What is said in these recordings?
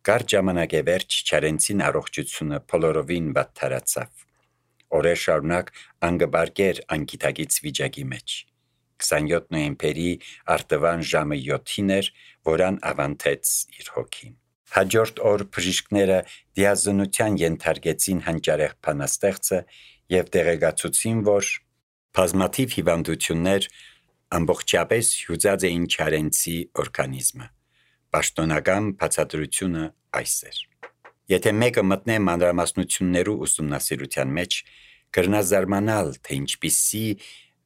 Կար ժամանակ է վերջ Չարենցին առողջությունը բոլորովին վատթարացավ։ Օրեր շարունակ անգբարգեր անգիտակից վիճակի մեջ։ 27 նոյեմբերի արտվան ժամը 7-ին էր, որան ավանթեց իր հոգին։ Հաջորդ օր բժիշկները դիազնության ենթարկեցին հանճարեղ բանաստեղծը և տեղեկացուցին, որ բազմաթիվ հիվանդություններ ամբողջապես հյուծած էին Չարենցի օրգանիզմը։ Պաշտոնական բացատրությունը այս էր. Եթե մեկը մտնե մանրամասնություններու ուսումնասիրության մեջ, կրնա զարմանալ, թե ինչպիսի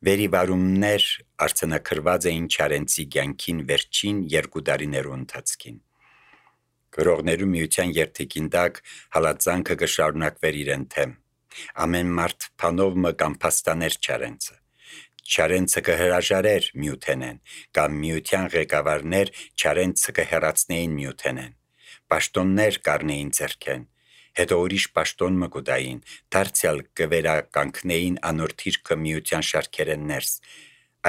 վերիվարումներ արձանագրված էին Չարենցի կյանքին վերջին 2 տարիներու ընթացքին։ Գրողներու միության երթիկին տակ հալածանքը կշարունակվեր իրեն թեմ։ Ամեն մարդ բանով մը կամ փաստաներ Չարենցը։ Չարենցը կհրաժարեր Միութենեն, կամ Միության ղեկավարներ Չարենցը կհեռացնեին Միութենեն։ Պաշտոններ կառնեին ձեռքեն, հետո ուրիշ պաշտոն մը կուտային, դարձյալ կվերականգնեին անոր թիրքը Միության շարքերեն ներս։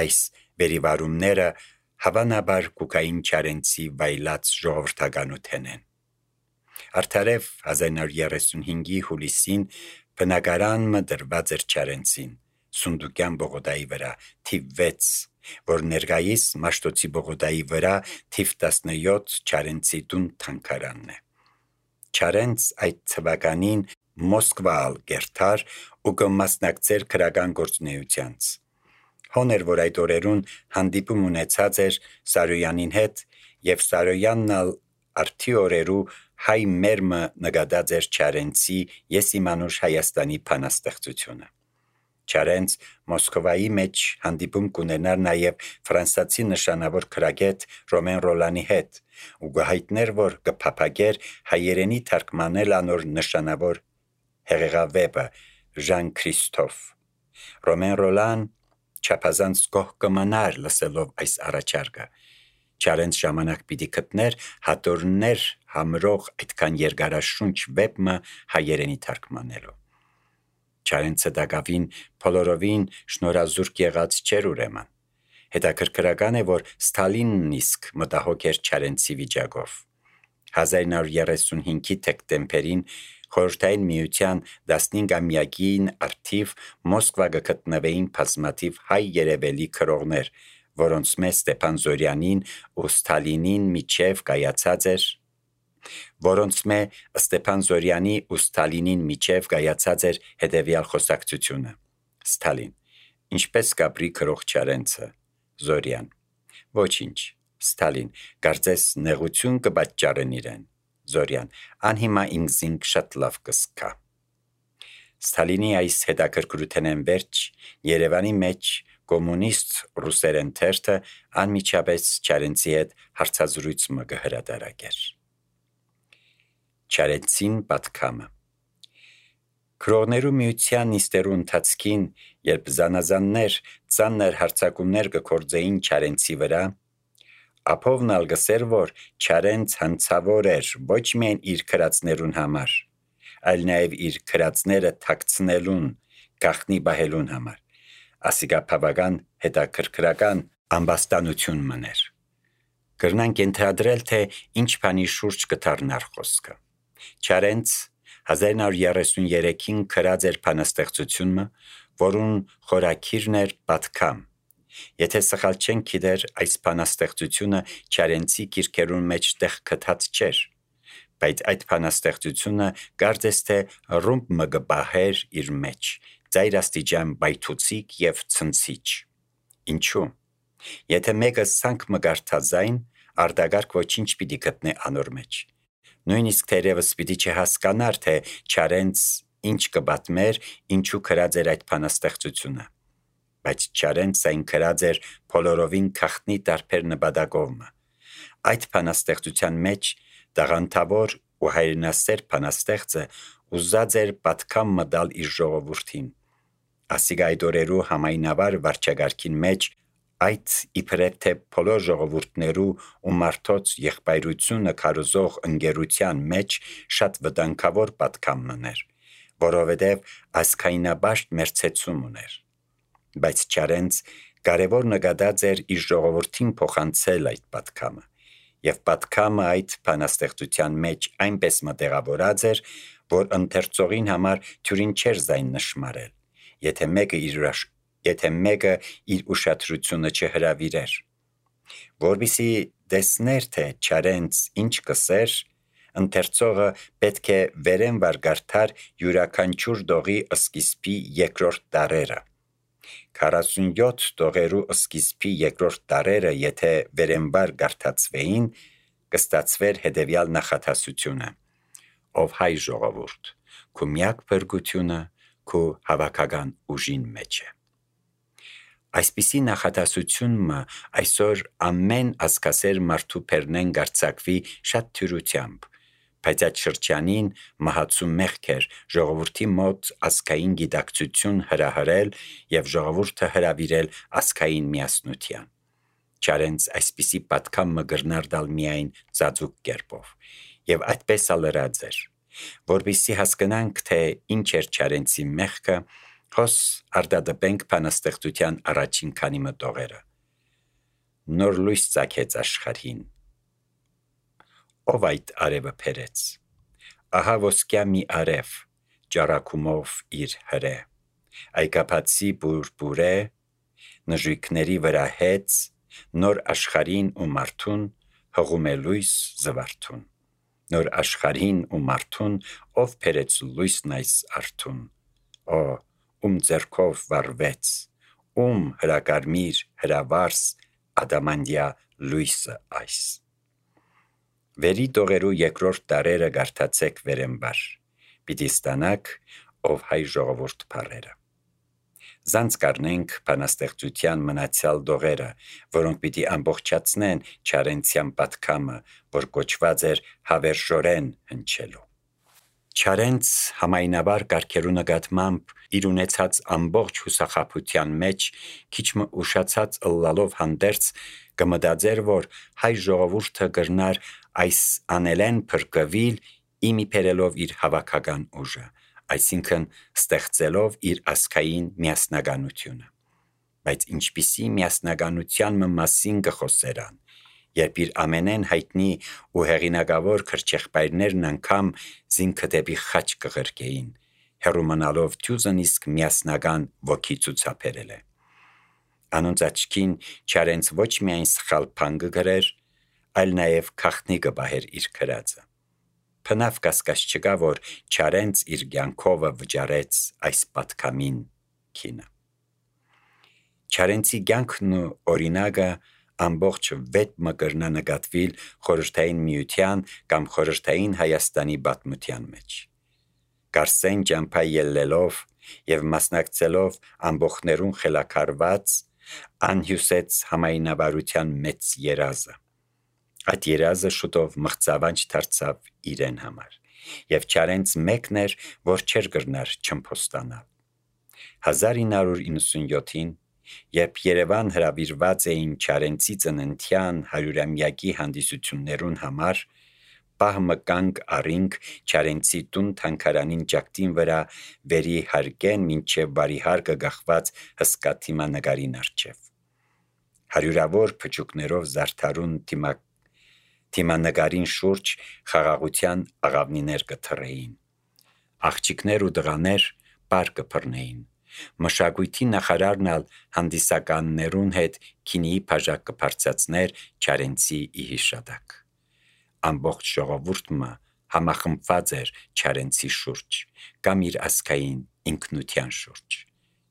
Այս վերիվարումները հավանաբար կուկային Չարենցի վայլած ժողովրդականութենեն։ Արդարև 1935-ի հուլիսին բնակարան մը դրված էր Չարենցին, Սունդուկյան բողոդայի վրա, թիվ 6, որ ներկայիս Մաշտոցի բողոդայի վրա թիվ 17 Չարենցի տուն թանգարանն է։ Չարենց այդ թվականին Մոսկվալ գերթար ու կմասնակցեր քրական գործունեությանց։ Հոներ, որ այդ օրերուն հանդիպում ունեցած էր Սարոյանին հետ, և Սարոյանն ալ արդի օրերու հայ մերմը նկատած էր Չարենցի «Ես իմանուր Հայաստանի» բանաստեղծությունը։ Չարենց Մոսկվայի մեջ հանդիպում կունենար նաև ֆրանսացի նշանավոր գրագետ Ռոմեն Ռոլանի հետ ու կհայտներ, որ կփափագեր հայերենի թարգմանել անոր նշանավոր հեղեղավեպը Ժան Քրիստոֆ։ Ռոմեն Ռոլան չափազանց գոհ կմնար լսելով այս առաջարկը։ Չարենց ժամանակ պիտի գտներ հատորներ համրող այդքան երկարաշունչ վեպը հայերենի թարգմանելու։ Չարենցը դակավին բոլորովին շնորհազուրկ եղած չէր ուրեմն։ Հետաքրքրական է, որ Ստալինն իսկ մտահոգ էր Չարենցի վիճակով։ 1935-ի դեկտեմբերին Խորհրդային Միության 15-ամյակին արդիվ Մոսկվա գտնվեին բազմաթիվ հայ երևելի գրողներ, որոնց մեջ Ստեփան Զորյանին ու Ստալինին միջև կայացած էր հետևյալ խոսակցությունը. Ստալին. Ինչպես կապրի գրող Չարենցը։ Զորյան. Ոչինչ։ Ստալին. Կարծես նեղություն կպատճառեն իրեն։ Զորյան. Անհիմա ինքզինք շատ լավ կսկա։ Ստալինի այս հետաքրքրութենեն վերջ Երևանի մեջ կոմունիստ ռուսերեն թերթը անմիջապես Չարենցի հետ հարցազրույց մը կհրատարակեր։ Չարենցին պատգամը։ Գրողներու միության նիստերու ընթացքին, երբ զանազաններ ծանր հարձակումներ կգործեին Չարենցի վրա, Ափովն ալ գսեր, որ Չարենց հանցավոր էր ոչ միայն իր գրածներուն համար, այլ նաև իր գրածները թաքցնելուն, գաղտնի պահելուն համար։ Ասիկա բավական հետաքրքրական ամբաստանություն մներ։ Կրնանք ենթադրել, թե ինչ բանի շուրջ կդառնար խոսքը։ Չարենց 1933-ին գրած էր բանաստեղծությունը, որուն խորագիրն էր «Պատգամ»։ Եթե սխալ չենք գիտեր, այս բանաստեղծությունը Չարենցի գիրքերուն մեջ տեղ գտած չէր, բայց այդ բանաստեղծությունը կարծես թե ռումբ մը կպահեր իր մեջ, ծայրաստիճան բայթուցիկ և ցնցիչ։ Ինչու՞։ Եթե մեկը սանք մը կարդազայն, արտագարգ ոչինչ պիտի գտնե անոր մեջ։ Նույնիսկ թերևս պիտի չհասկանար, թե Չարենց ինչ կպատմեր, ինչու գրած էր այդ բանաստեղծությունը։ Բայց Չարենց այն գրած էր բոլորովին գաղտնի տարբեր նպատակով մը։ Այդ բանաստեղծության մեջ տաղանդավոր ու հայրենասեր բանաստեղծը ուզած էր պատգամ մը տալ իր ժողովուրդին։ Ասիկա այդ օրերու համայնավար վարչագարքին մեջ այդ իբրև թե բոլոր ժողովուրդներու ու մարդոց եղբայրությունը քարոզող ընկերության մեջ շատ վտանգավոր պատգամ մներ, որովհետև ազգայնաբաշտ մերձեցում ուներ։ Բայց Չարենց կարևոր նկատած էր իր ժողովրդին փոխանցել այդ պատգամը, եւ պատկամը այդ բանաստեղծության մեջ այնպես մտեղավորած էր, որ ընթերցողին համար թյուրին չէր զայն նշмарել, եթե մեկը իր ուշադրությունը չհրավիրեր։ Որպեսզի տեսներ, թե Չարենց ինչ կսեր, ընթերցողը պետք է վերենվար գարթար յուրաքանչյուր տողի սկիզբի երկրորդ տառերը։ 47 տողերու սկիզբի երկրորդ տառերը, եթե վերենվար գարթացվեին, կստացվեր հետևյալ նախատասությունը. ով հայ ժողովուրդ, քու միակ փրկությունը քու հավաքական ուժին մեջ է։ Այսպիսի նախատասությունը այսօր ամեն ասկասեր մարդու պերնեն գարցակվի շատ թյուրությամբ, բայց այդ շրջանին մահացու մեղք էր ժողովրդի մոտ ասկային գիտակցություն հրահրել եւ ժողովուրդը հրավիրել ասկային միասնության։ Չարենց այսպիսի պատկամը գրնար դալ միայն ծածուկ կերպով, եւ այդպես ալրած էր, որպեսզի հասկանանք, թե ինչ էր Չարենցի մեղքը, հոս արտադպենք բանաստեղծության առաջին քանի մտողերը։ Նոր լույս ծագեց աշխարհին։ Ով այդ արևը փերեց։ Ահա ոսկյա մի արև, ճառակումով իր հրե, այկապացի բուրբուրե, նժույգների վրա հեց, նոր աշխարհին ու մարդուն հղում է լույս զվարթուն։ Նոր աշխարհին ու մարդուն ով փերեց լույսն այս արթուն։ Օ, ում ձեռքով վարվեց, ում հրակարմիր հրավարս ադամանդյա լույսը այս։ Վերի տողերու երկրորդ տառերը գարթացեք վերենվար, պիտի ստանաք ով հայ ժողովուրդ բառերը։ Զանց կառնենք բանաստեղծության մնացյալ տողերը, որոնք պիտի ամբողջացնեն Չարենցյան պատկամը, որ կոչված էր հավերժորեն հնչելու։ Չարենց համայնավար կարգերու նկատմամբ իր ունեցած ամբողջ հուսախաբության մեջ քիչ մը ուշացած ըլլալով հանդերձ կմտածեր, որ հայ ժողովուրդը կրնար այս անելեն փրկվել իմի բերելով իր հավաքական ուժը, այսինքն ստեղծելով իր ասկային միասնականությունը։ Բայց ինչպիսի միասնականության մասին կխոսերան, երբ իր ամենեն հայտնի ու հեղինակավոր քրչեղբայրներն անգամ զինքը դեպի խաչ կղրկեին, հեռու մնալով թյուզն իսկ միասնական ոգի ցուցաբերել է։ Անոնց աչքին Չարենց ոչ միայն սխալ բան կգրեր, այլ նաև քախնի կբահեր իր քրածը։ Փնավ կասկած չկա, որ Չարենց իր կյանքովը վճարեց այս պատկամին քինը։ Չարենցի կյանքն ու օրինակը ամբողջ 6 մկրնա նկատվիլ խորհրդային միության կամ խորհրդային Հայաստանի պատմության մեջ։ Կարսեն ճամփա ելլելով եւ մասնակցելով ամբողջներուն խելակարված անհյուսեց համայնավարության մեծ երազը։ Այդ երազը շուտով մղձավանջ դարձավ իրեն համար, եւ Չարենց մեկն էր, որ չէր գրնար չմփոստանալ։ 1997-ին, երբ Երևան հրավիրված էին Չարենցի ծննդյան 100-ամյակի հանդիսություններուն համար, պահմը կանգ առինք Չարենցի տուն թանգարանին ճակտին վրա վերի հարկեն մինչև բարիհարկը գախված հսկա թիմանկարին առջև։ Հարյուրավոր փճուկներով զարդարուն թիմանկարին շուրջ խաղաղության աղավնիներ կթռեին։ Աղջիկներ ու տղաներ պար կփռնեին։ Մշակույթի նախարարն ալ հանդիսականներուն հետ քինիի բաժակ կբարձրացներ Չարենցի իհիշադակ։ Ամբողջ ժողովուրդը համախմբված էր Չարենցի շուրջ կամ իր ասկային ինքնության շուրջ։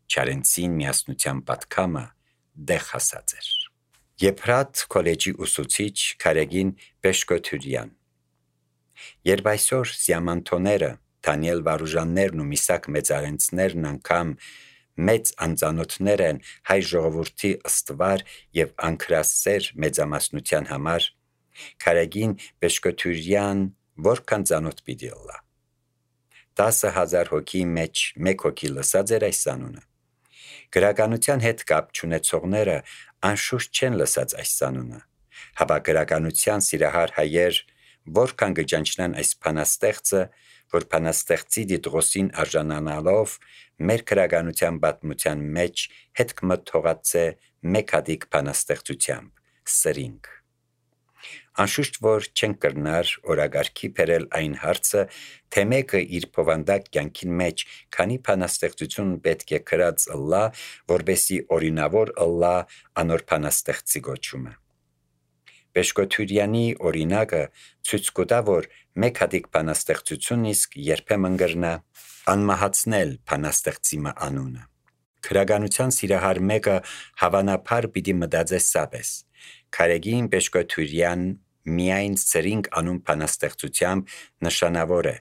Չարենցին միասնության պատկամը դեղ հասած էր։ Եփրատ քոլեջի ուսուցիչ Քարեգին Պեշկոթուրյան։ Երբ այսօր սիամանթոները, Դանիել Վարուժաններն ու Միսակ Մեծարենցներն անգամ մեծ անծանոթներ են հայ ժողովրդի ըստվար եւ անկրասեր մեծամասնության համար, Քարեգին Պեշկոթուրյան որքան ծանոթ պիտի լա։ 10,000 հոգի մեջ 1 հոգի լսած էր այս անունը։ Գրականության հետ կապ չունեցողները անշուշտ չեն լսած այս անունը, հապա գրականության սիրահար հայեր որքան կճանչնան այս բանաստեղծը, որ բանաստեղծի դիտողին արժանանալով մեր գրականության պատմության մեջ հետք մը թողած է մեկ հատիկ բանաստեղծությամբ՝ սրինգ։ անշուշտ որ չենք կրնար օրագարքի բերել այն հարցը, թե մեկը իր փոխանդակ կյանքին մեջ քանի բանաստեղծություն պետք է գրած ըլլա, որբեսի օրինավոր ըլլա անոր բանաստեղծի գոչումը։ Բեշկոթյուրյանի օրինակը ցույց կտա, որ մեկ հատիկ բանաստեղծություն իսկ երբեմն կրնա անմահացնել բանաստեղծի անունը։ Քրագանության սիրահար մեկը հավանաբար պիտի մտածե սապես. Քարեգին Բեշկոթյուրյան միայն ծրինք անուն բանաստեղծությամբ նշանավոր է,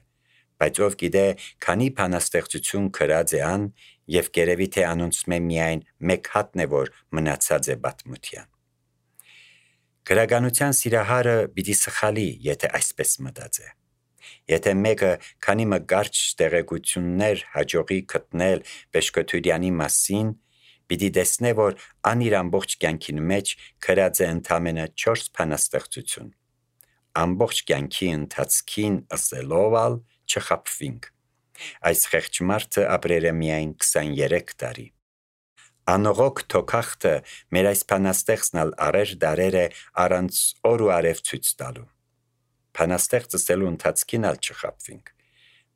բայց ով գիտե քանի բանաստեղծություն գրած է ան եւ գերեւի թե անոնց միայն մեկ հատն է որ մնացած է պատմության։ Քրագանության սիրահարը պիտի սխալի, եթե այսպես մտածե։ Եթե մեկը քանի մկարճ տեղեկություններ հաջողի գտնել Բեշկոթյուրյանի մասին, պիտի տեսնե, որ ան իր ամբողջ կյանքին մեջ գրած է ընդամենը 4 բանաստեղծություն։ Ամբողջ կյանքի ընթացքին ըսելով ալ չխաբվինք։ Այս խեղճ մարդը ապրել է միայն 23 տարի։ Անողոք թոքախտը մեր այս բանաստեղծն ալ առեր դարեր է առանց օր ու արև ցույց տալու։ Բանաստեղծը ստելու ընթացքին ալ չխաբվինք։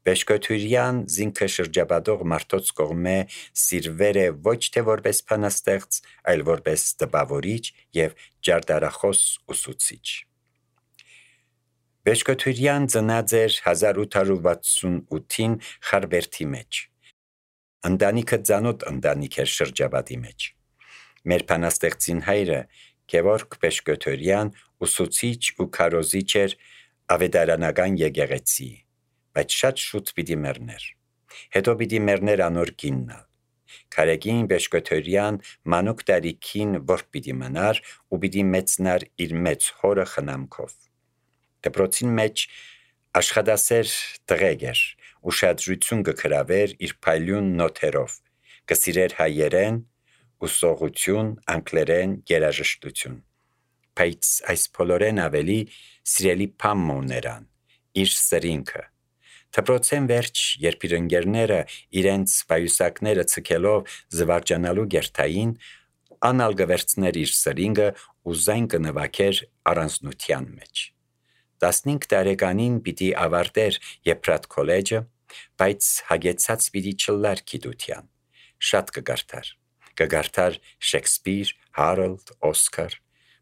Բեշկոթյուրյան զինքը շրջապատող մարդոց կողմէ սիրվեր է ոչ թե որպես բանաստեղծ, այլ որպես տպավորիչ եւ ջարդարախոս ուսուցիչ։ Բեշկոթյուրյան ծնած էր 1868-ին Խարբերդի մեջ։ Ընտանիքը ծանոթ ընտանիք էր շրջապատի մեջ։ Մեր բանաստեղծին հայրը Գևորգ Բեշկոթյուրյան ուսուցիչ ու քարոզիչ էր ավետարանական եկեղեցի, բայց շատ շուտ պիտի մեռներ։ Հետո պիտի մեռներ անոր կիննալ։ Քարեգին Բեշկոթյուրյան մանուկ տարիքին որ պիտի մնար ու պիտի մեծնար իր մեծ հորը խնամքով։ Դպրոցին մեջ աշխատասեր տղեկ էր, ուշադրություն կգրավեր իր փայլուն նոթերով, կսիրեր հայերեն, ուսողություն, անգլերեն, երաժշտություն։ Բայց այս բոլորեն ավելի սիրելի բան ուներան, իր սրինքը։ Դպրոցեն վերջ, երբ իր ընկերները իրենց պայուսակները ցկելով զվարճանալու գերտային, անալ գվերցներ իր սրինգը ու զայն կնվակեր առանձնության մեջ։ 15 տարեկանին պիտի ավարտեր Եփրատ քոլեջը, բայց հագեցած պիտի չլար գիտության։ Շատ կգարթար Շեքսպիր, Հարոլդ, Օսկար,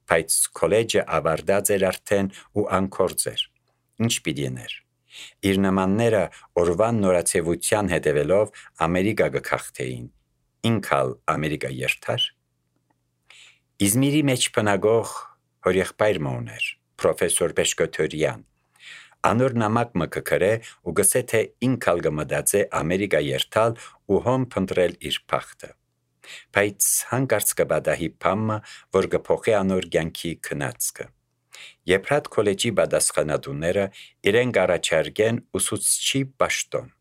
բայց քոլեջը ավարտած էր արդեն ու անկորձ էր։ Ինչ պիտի ներ։ Իր նմանները օրվան նորացեվության հետևելով Ամերիկա գքախտեին, ինքալ Ամերիկա երթար։ Իզմիրի մեջ բնագող հորեղբայր մոներ, պրոֆեսոր Բեշկոթյուրյան, անոր նամակ մը կգրե ու գսե թե ինքալ գմդածե Ամերիկա երթալ ու հոմ փնտրել իր փախտը։ Բայց հանկարծ կբադահի փամը, որ գփոխե անոր կյանքի քնածքը։ Եփրատ քոլեջի բադասխանատուները իրեն կառաջարկեն ուսուցչի պաշտոն։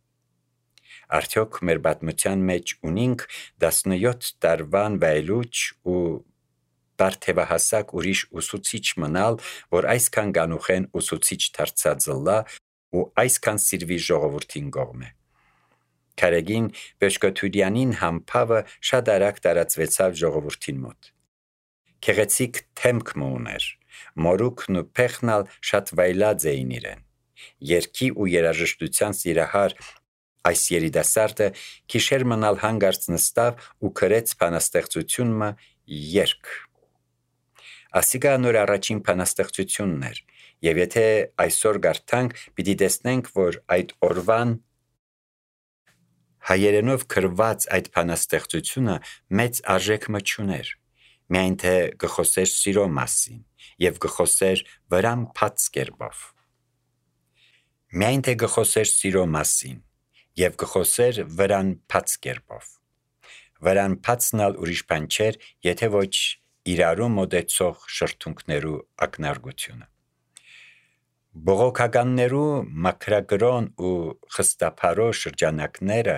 Արդյոք մեր պատմության մեջ ունինք 17 տարվան վայելուչ ու բարթևահասակ ուրիշ ուսուցիչ մնալ, որ այսքան գանուխեն ուսուցիչ դարձած ըլլա ու այսքան սիրվի ժողովրդին կողմէ։ Քարեգին Բեշկոթյուրյանին համբավը շատ արագ տարածվեցավ ժողովրդին մոտ։ Քեղեցիկ թեմք ուներ, մորուքն ու փեղնալ շատ վայլած էին իրեն։ Երգի ու երաժշտության սիրահար այս երիտասարդը քիշեր մնալ հանգարց նստավ ու գրեց բանաստեղծությունը երգ։ Ասիկա նոր առաջին բանաստեղծությունն էր, եւ եթե այսօր գարթանք, պիտի տեսնենք, որ այդ օրվան հայերենով գրված այդ բանաստեղծությունը մեծ արժեք չուներ, միայն թե գխոսեր սիրո մասին եւ գխոսեր վրան փած կերպով։ Միայն թե գխոսեր սիրո մասին եւ գխոսեր վրան փած կերպով։ Վրան փածնալ ուրիշ բան չէր, եթե ոչ իրարու մոդեցող շրթունքներու ակնարկությունը։ Բողոքականներու մակրագրոն ու խստափարո շրջանակները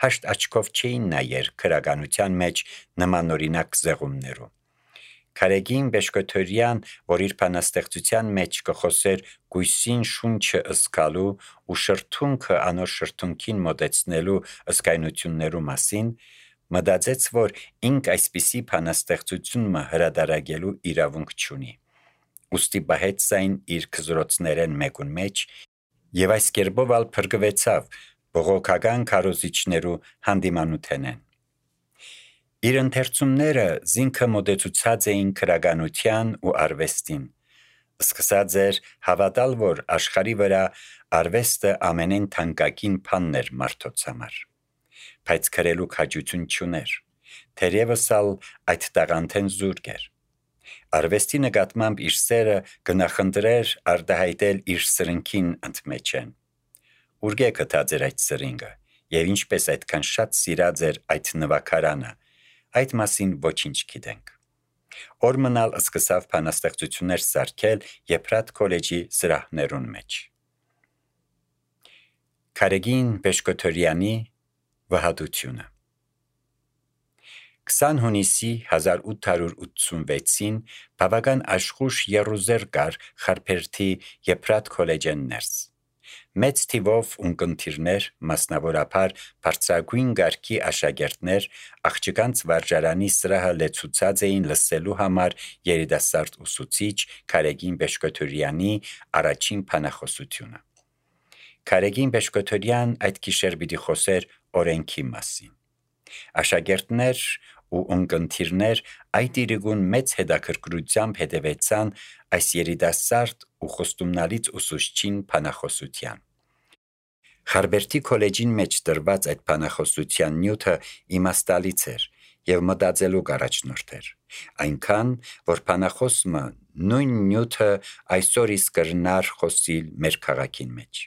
հաշտ աչքով չէին նայեր քրագանության մեջ նմանօրինակ զեղումներու։ Քարեգին Բեշկոթյուրյան, որ իր բանաստեղծության մեջ կխոսեր գույսին շունչը ըսկալու ու շրթունքը անոր շրթունքին մոտեցնելու ըսկայնություններու մասին, մտածեց, որ ինք այսպիսի բանաստեղծություն հրադարագելու իրավունք չունի։ ուստի բահեց այն իր քզրոցներեն մեկուն մեջ եւ այս կերպով ալ փրկվեցավ բողոքական քարոզիչներու հանդիմանութենեն։ Իր ընթերցումները զինքը մոտեցուցած էին քրագանության ու արվեստին, սկսած էր հավատալ, որ աշխարհի վրա արվեստը ամենեն թանկագին բանն էր մարդոց համար, բայց քրելու քաջություն չուներ, թերևս ալ այդ տաղանդեն զուրկ էր։ Արվեստի նկատմամբ իր սերը գնախնդրեր արտահայտել իր սրնքին ընդմեջեն։ Ուրգե գտած էր այդ սրինգը եւ ինչպես այդքան շատ սիրած էր այդ նվագարանը, այդ մասին ոչինչ գիտենք։ Օրմնալ սկսավ բանաստեղծություններ սարքել Եփրատ քոլեջի սրահներուն մեջ։ Քարեգին Բեշկոթորյանի վհատությունը 20 հունիսի 1886-ին բավական աշխուժ եռուզեր կար Խարփերթի Եփրատ քոլեջեն ներս։ Մեծ թիվով ունկնդիրներ, մասնավորապես բարձրագույն գարկի աշակերտներ աղջկանց վարժարանի սրահը լեցուցած էին լսելու համար երիտասարդ ուսուցիչ Քարեգին Բեշկոթորյանի առաջին բանախոսությունը։ Քարեգին Բեշկոթորյան այդ գիշեր պիտի խոսեր օրենքի մասին։ Աշակերտներ ու ունկնդիրներ այդ իրիկուն մեծ հետաքրքրությամբ հետևեցան այս երիտասարդ ու խոստումնալից ուսուցչին բանախոսության։ Խարփերթի քոլեջին մեջ դրված այդ բանախոսության նյութը իմաստալից էր եւ մտածելու առաջնորդ էր, այնքան որ բանախոսը նույն նյութը այսօր իսկ կրնար խոսիլ մեր քաղաքին մեջ։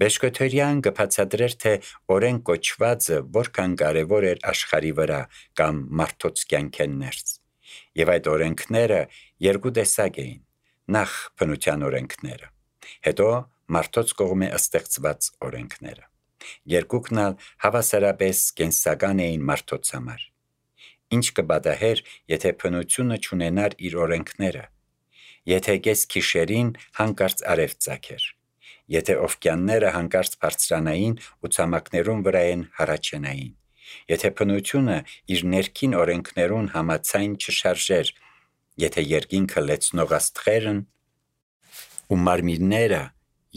Բեշկոթորյան կբացատրեր, թե օրենք կոչվածը որքան կարևոր էր աշխարհի վրա կամ մարդոց կյանքեն ներս։ Եվ այդ օրենքները երկու տեսակ էին. նախ բնության օրենքները, հետո մարդոց կողմէ ստեղծված օրենքները։ Երկուքն ալ հավասարապես կենսական էին մարդոց համար։ Ինչ կպատահեր, եթե բնությունը չունենար իր օրենքները, եթե կես գիշերին հանկարծ արև ծագեր, եթե օվկիանները հանկարծ բարձրանային ու ցամաքներուն վրայեն հառաչենային, եթե բնությունը իր ներքին օրենքներուն համաձայն չշարժեր, եթե երկինքը լեցնող աստղերն ու մարմինները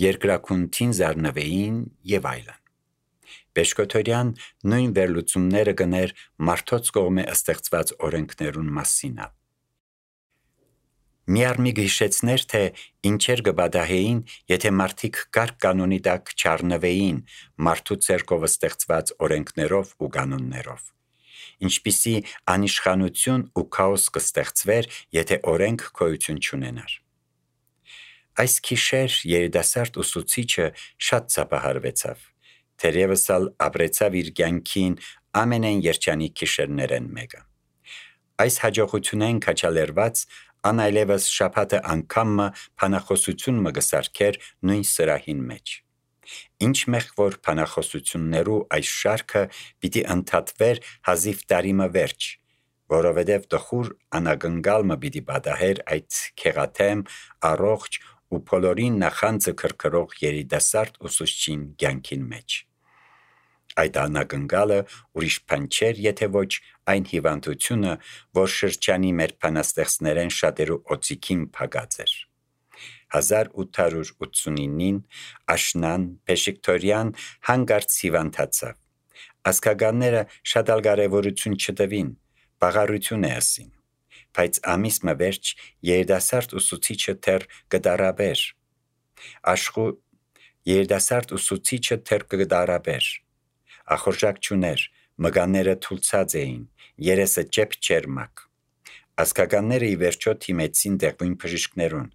երկրաքունթին զարնվեին եւ այլն։ Բեշկոթորյան նույն վերլուծումները կներ մարդոց կողմէ ստեղծված օրենքներուն մասին։ Միառմի գիշեցներ, թե ինչեր կպատահեին, եթե մարդիկ կարգ կանոնի տակ չառնվեին մարդու ցերկով ստեղծված օրենքներով ու կանոններով։ Ինչպիսի անիշխանություն ու քաոս կստեղծվեր, եթե օրենք գոյություն չունենար։ Այս գիշեր երիտասարդ ուսուցիչը շատ ծափահարվեցավ, թերևս ալ ապրեցավ իր կյանքին ամենեն երջանիկ գիշերներեն մեկը։ Այս հաջողությունեն քաջալերված անայլևս շաբաթը անգամը բանախոսություն մը գսարքեր նույն սրահին մեջ։ Ինչ մեղ որ բանախոսություններու այս շարքը պիտի ընդհատվեր հազիվ տարիմը վերջ, որովհետև տխուր անագնգալը պիտի պատահեր այդ քեղաթեմ, առողջ ու բոլորին նախանձը քրքրող երիտասարդ ուսուցչին կյանքին մեջ։ Այդ անագնգալը ուրիշ բան չէր, եթե ոչ այն հիվանդությունը, որ շրջանի մեր բանաստեղծներեն շատերու օծիքին փակած էր։ 1889-ին աշնան Բեշկոթորյան հանկարծ հիվանդացավ։ Ազգականները շատ ալ կարևորություն չտվին, բաղարություն է ասին, բայց ամիսը վերջ երիտասարդ ուսուցիչը թեր կդարաբեր, ախորժակ չուներ, մկանները թուլցած էին, երեսը ճեպ չէր մակ։ Ազգականները ի վերջո թիմեցին դեղույն բժիշկներուն,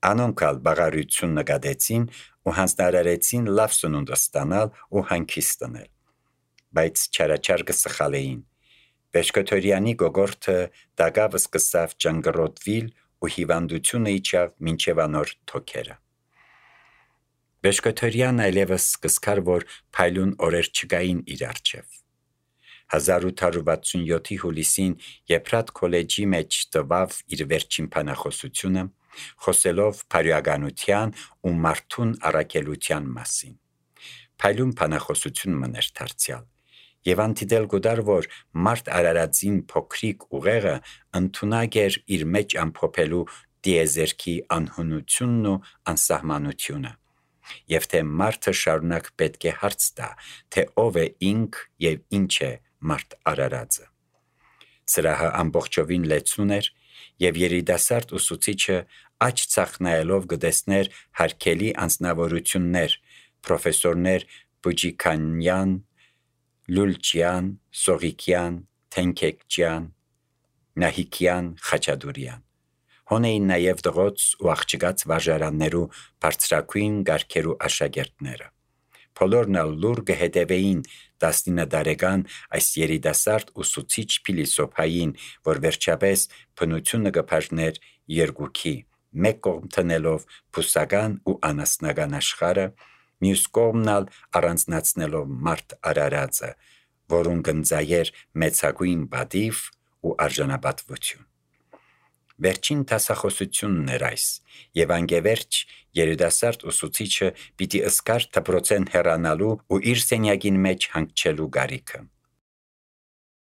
անոնք ալ բաղարություն նկատեցին ու հանձնարարեցին լավ սնունդ ստանալ ու հանգիստ տնել, բայց չարաչար կսխալեին։ Բեշկոթորյանի գոգորթը դակավ սկսավ ճանգռոտվիլ ու հիվանդությունը իջավ մինչև անոր թոքերը։ Բեշկոթորյան այլևս կսկար, որ փայլուն օրեր չկային իր առջև։ 1867-ի հուլիսին Եփրատ քոլեջի մեջ տվավ իր վերջին բանախոսությունը, խոսելով բարոյականության ու մարդուն առաքելության մասին։ Փայլուն բանախոսություն մներ դարձյալ, եւ անտիդել գոդար, որ մարդ Արարածին փոքրիկ ուղեղը ընդունակ էր իր մեջ ամփոփելու դիեզերքի անհունությունն ու անսահմանությունը, եւ թե մարդը շարունակ պետք է հարց տա, թե ով է ինք եւ ինչ է մարդ արարածը։ Սրահը ամբողջովին լեցուն էր, եւ երիտասարդ ուսուցիչը աջ ցախ նայելով գտեսներ հարկելի անձնավորություններ, պրոֆեսորներ Բուջիքանյան, Լուլչյան, Սողիկյան, Թենքեկջյան, Նահիկյան, Խաչատուրյան։ Հոնեին նաև դղոց ու աղջկաց վարժարաններու բարձրակույն գարքերու աշակերտները։ Բոլորն էլ լուր կհետևեին 19 տարեկան այս երիտասարդ ուսուցիչ փիլիսոփային, որ վերջապես բնությունը կբաժներ երկուքի, մեկ կողմ տնելով բուսական ու անասնական աշխարհը, մյուս կողմն ալ առանձնացնելով մարդ արարածը, որուն կնձայեր մեծագույն պատիվ ու արժանապատվություն։ Վերջին դասախոսությունն էր այս, եւ անգևերջ երիտասարդ ուսուցիչը պիտի ըսկար դպրոցեն հեռանալու ու իր սենյակին մեջ հանգչելու գարիքը։